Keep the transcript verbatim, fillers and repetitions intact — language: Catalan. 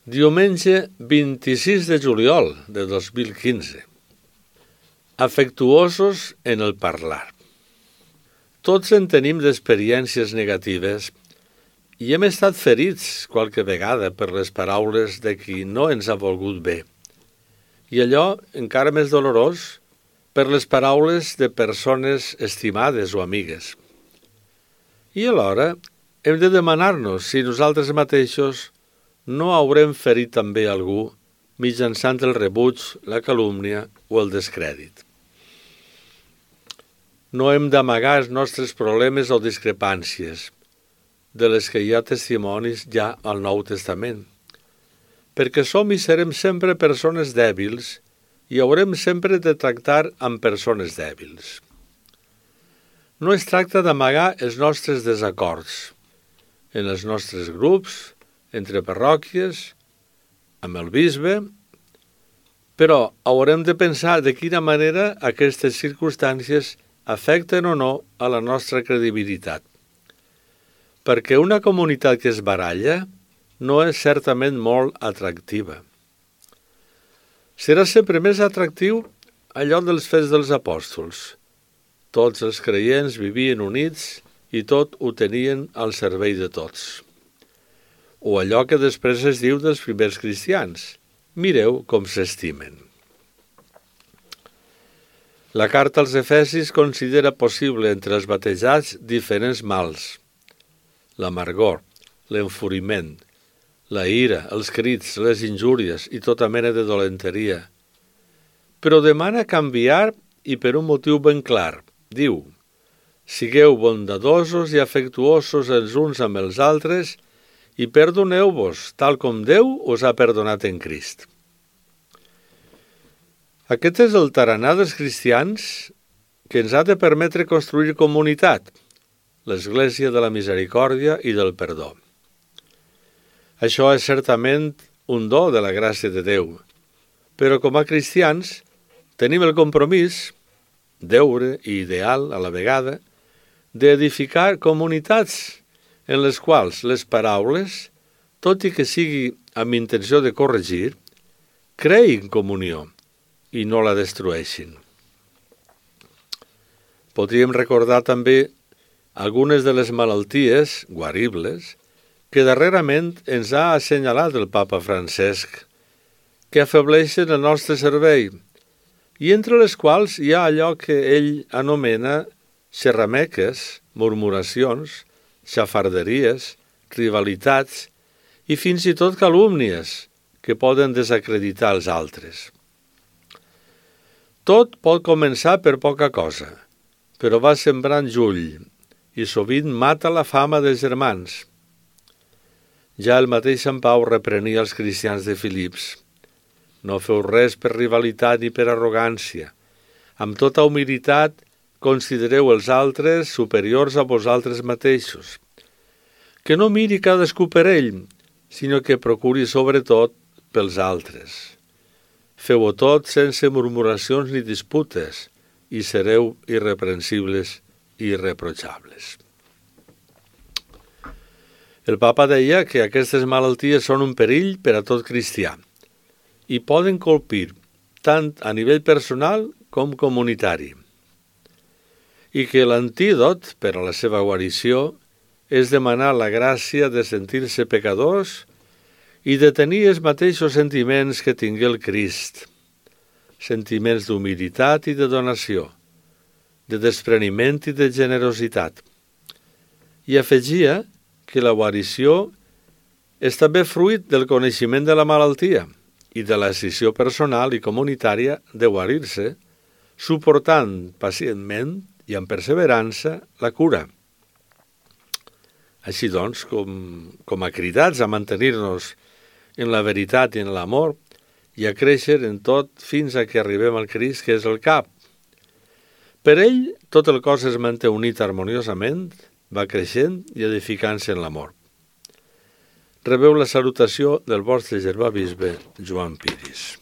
Diumenge vint-i-sis de juliol de dos mil quinze. Afectuosos en el parlar. Tots en tenim d'experiències negatives i hem estat ferits qualque vegada per les paraules de qui no ens ha volgut bé. I allò, encara més dolorós, per les paraules de persones estimades o amigues. I alhora hem de demanar-nos si nosaltres mateixos no haurem ferit també algú mitjançant el rebuig, la calúmnia o el descrèdit. No hem d'amagar els nostres problemes o discrepàncies, de les que hi ha testimonis ja al Nou Testament, perquè som i serem sempre persones dèbils i haurem sempre de tractar amb persones dèbils. No es tracta d'amagar els nostres desacords en els nostres grups, entre parròquies, amb el bisbe, però haurem de pensar de quina manera aquestes circumstàncies afecten o no a la nostra credibilitat. Perquè una comunitat que es baralla no és certament molt atractiva. Serà sempre més atractiu allò dels Fets dels Apòstols. Tots els creients vivien units i tot ho tenien al servei de tots. O allò que després es diu dels primers cristians. Mireu com s'estimen. La carta als Efesis considera possible entre els batejats diferents mals. L'amargor, l'enfuriment, la ira, els crits, les injúries i tota mena de dolenteria. Però demana canviar i per un motiu ben clar. Diu, sigueu bondadosos i afectuosos els uns amb els altres i perdoneu-vos, tal com Déu us ha perdonat en Crist. Aquest és el tarannà dels cristians que ens ha de permetre construir comunitat, l'Església de la Misericòrdia i del Perdó. Això és certament un do de la gràcia de Déu, però com a cristians tenim el compromís, deure i ideal a la vegada, d'edificar comunitats en les quals les paraules, tot i que sigui amb intenció de corregir, creïn comunió i no la destrueixin. Podríem recordar també algunes de les malalties guaribles que darrerament ens ha assenyalat el Papa Francesc, que afebleixen el nostre servei, i entre les quals hi ha allò que ell anomena xerrameques, murmuracions, xafarderies, rivalitats i fins i tot calúmnies que poden desacreditar els altres. Tot pot començar per poca cosa, però va sembrant jull i sovint mata la fama dels germans. Ja el mateix Sant Pau reprenia els cristians de Filips. No feu res per rivalitat ni per arrogància. Amb tota humilitat considereu els altres superiors a vosaltres mateixos. Que no miri cadascú per ell, sinó que procuri sobretot pels altres. Feu-ho tot sense murmuracions ni disputes i sereu irreprensibles i irreprotxables. El Papa deia que aquestes malalties són un perill per a tot cristià i poden colpir tant a nivell personal com comunitari, i que l'antídot per a la seva guarició és demanar la gràcia de sentir-se pecadors i de tenir els mateixos sentiments que tingué el Crist, sentiments d'humilitat i de donació, de despreniment i de generositat. I afegia que la guarició és també fruit del coneixement de la malaltia i de la decisió personal i comunitària de guarir-se, suportant pacientment i amb perseverança la cura. Així doncs, com, com a cridats a mantenir-nos en la veritat i en l'amor i a créixer en tot fins a que arribem al Crist, que és el cap. Per ell, tot el cos es manté unit harmoniosament, va creixent i edificant-se en l'amor. Rebeu la salutació del vostre germà bisbe Joan Piris.